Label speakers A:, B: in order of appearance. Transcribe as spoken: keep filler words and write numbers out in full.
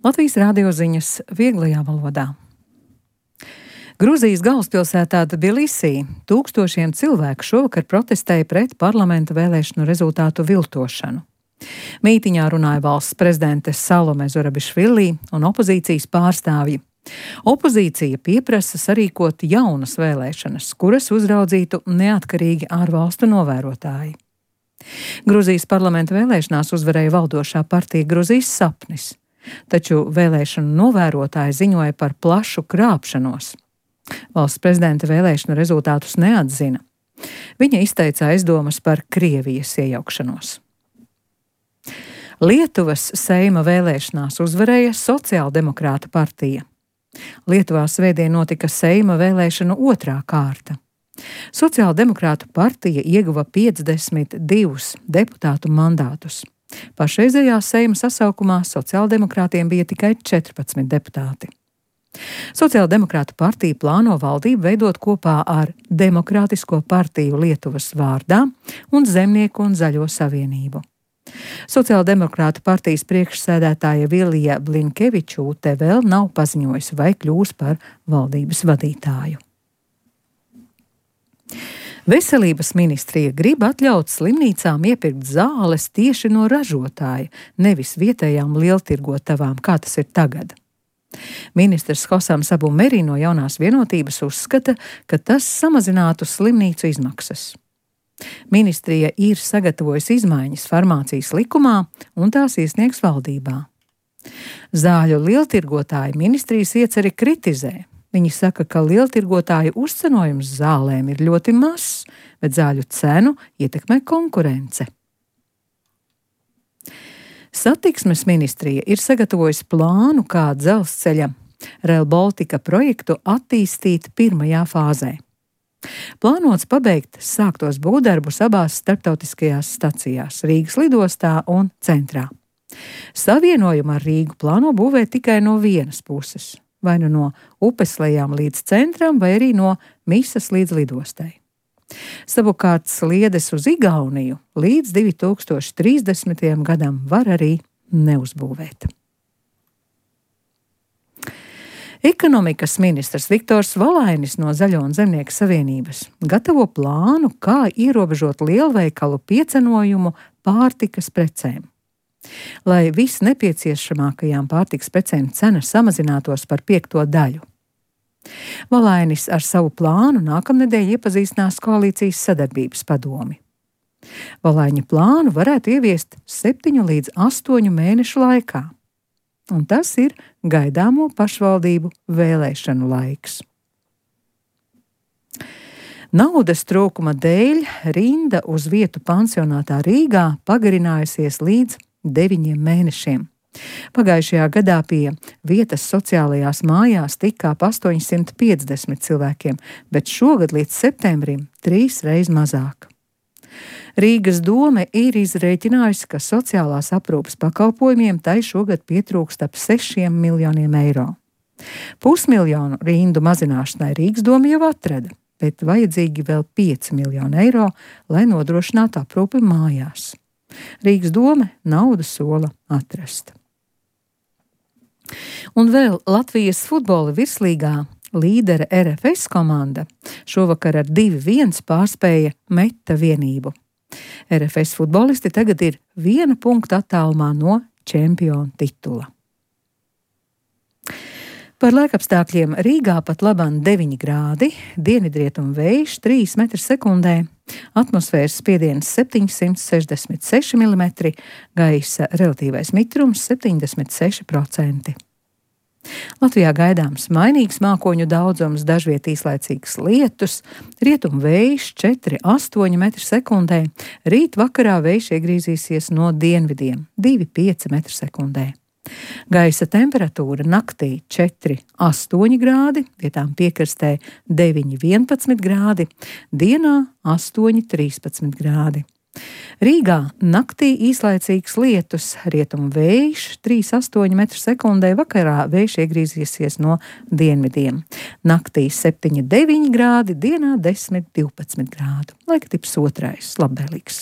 A: Latvijas radio ziņas vieglajā valodā. Gruzijas galvaspilsētā Tbilisī tūkstošiem cilvēku šovakar protestēja pret parlamenta vēlēšanu rezultātu viltošanu. Mītiņā runāja valsts prezidente Salome Zurabišvili un opozīcijas pārstāvji. Opozīcija pieprasa sarīkot jaunas vēlēšanas, kuras uzraudzītu neatkarīgi ārvalstu novērotāji. Gruzijas parlamenta vēlēšanās uzvarēja valdošā partija Gruzijas sapnis, taču vēlēšanu novērotāji ziņoja par plašu krāpšanos. Valsts prezidenta vēlēšanu rezultātus neatzina. Viņa izteica aizdomas par Krievijas iejaukšanos. Lietuvas Seima vēlēšanās uzvarēja Sociāldemokrāta partija. Lietuvā svētdien notika Seima vēlēšanu otrā kārta. Sociāldemokrātu partija ieguva piecdesmit divus deputātu mandātus. Pašreizējā Seima sasaukumā sociāldemokrātiem bija tikai četrpadsmit deputāti. Sociāldemokrātu partija plāno valdību veidot kopā ar Demokrātisko partiju Lietuvas vārdā un Zemnieku un Zaļo savienību. Sociāldemokrātu partijas priekšsēdētāja Vilija Blinkevičūte vēl nav paziņojusi, vai kļūs par valdības vadītāju. Veselības ministrija grib atļaut slimnīcām iepirkt zāles tieši no ražotāja, nevis vietējām lieltirgotavām, kā tas ir tagad. Ministrs Hosams Abu Meri no Jaunās vienotības uzskata, ka tas samazinātu slimnīcu izmaksas. Ministrija ir sagatavojusi izmaiņas farmācijas likumā un tās iesniegs valdībā. Zāļu lieltirgotāji ministrijas ieceri kritizē. Viņi saka, ka lieltirgotāju uzcenojums zālēm ir ļoti mazs, bet zāļu cenu ietekmē konkurence. Satiksmes ministrija ir sagatavojusi plānu, kā dzelzceļa Rail Baltica projektu attīstīt pirmajā fāzē. Plānots pabeigt sāktos būvdarbus abās starptautiskajās stacijās – Rīgas lidostā un centrā. Savienojumu ar Rīgu plāno būvēt tikai no vienas puses, vai nu no upeslejām līdz centram, vai arī no Misas līdz lidostai. Savukārt sliedes uz Igauniju līdz divi tūkstoši trīsdesmitajam gadam var arī neuzbūvēt. Ekonomikas ministrs Viktors Valainis no Zaļo un Zemnieku savienības gatavo plānu, kā ierobežot lielveikalu piecenojumu pārtikas precēm. Lai viss nepieciešamākajām pārtikas precēm cena samazinātos par piekto daļu. Valainis ar savu plānu nākamnedēļ iepazīstinās koalīcijas sadarbības padomi. Valaiņa plānu varētu ieviest septiņu līdz astoņu mēnešu laikā, un tas ir gaidāmo pašvaldību vēlēšanu laiks. Naudas trūkuma dēļ rinda uz vietu pansionātā Rīgā pagarinājusies līdz deviņiem mēnešiem. Pagājušajā gadā pie vietas sociālajās mājās tika ap astoņsimt piecdesmit cilvēkiem, bet šogad līdz septembrim trīs reiz mazāk. Rīgas dome ir izrēķinājusi, ka sociālās aprūpes pakalpojumiem tai šogad pietrūkst ap sešiem miljoniem eiro. Pusmiljonu rindu mazināšanai Rīgas doma jau atrada, bet vajadzīgi vēl pieci miljoni eiro, lai nodrošinātu aprūpi mājās. Rīgas dome naudu sola atrast. Un vēl Latvijas futbola virslīgā līdere R F S komanda šovakar ar divi viens pārspēja Meta vienību. R F S futbolisti tagad ir viena punkta attālumā no čempiona titula. Par laikapstākļiem Rīgā pat labam deviņi grādi, dienvidrietumu vējš trīs metri sekundē, atmosfēras spiediens septiņsimt sešdesmit seši milimetri, gaisa relatīvais mitrums septiņdesmit seši procenti. Latvijā gaidāms mainīgs mākoņu daudzums, dažviet īslaicīgs lietus, rietumu vējš četri astoņi metri sekundē, rīt vakarā vējš iegrīzīsies no dienvidiem divi pieci metri sekundē. Gaisa temperatūra naktī četri astoņi grādi, vietām piekrastē deviņi vienpadsmit grādi, dienā astoņi trīspadsmit grādi. Rīgā naktī īslaicīgs lietus, rietumu vējš trīs astoņi metri sekundē, vakarā vējš iegrīzīsies no dienvidiem. Naktī septiņi deviņi grādi, dienā desmit divpadsmit grādu. Laika tips otrais, labvēlīgs.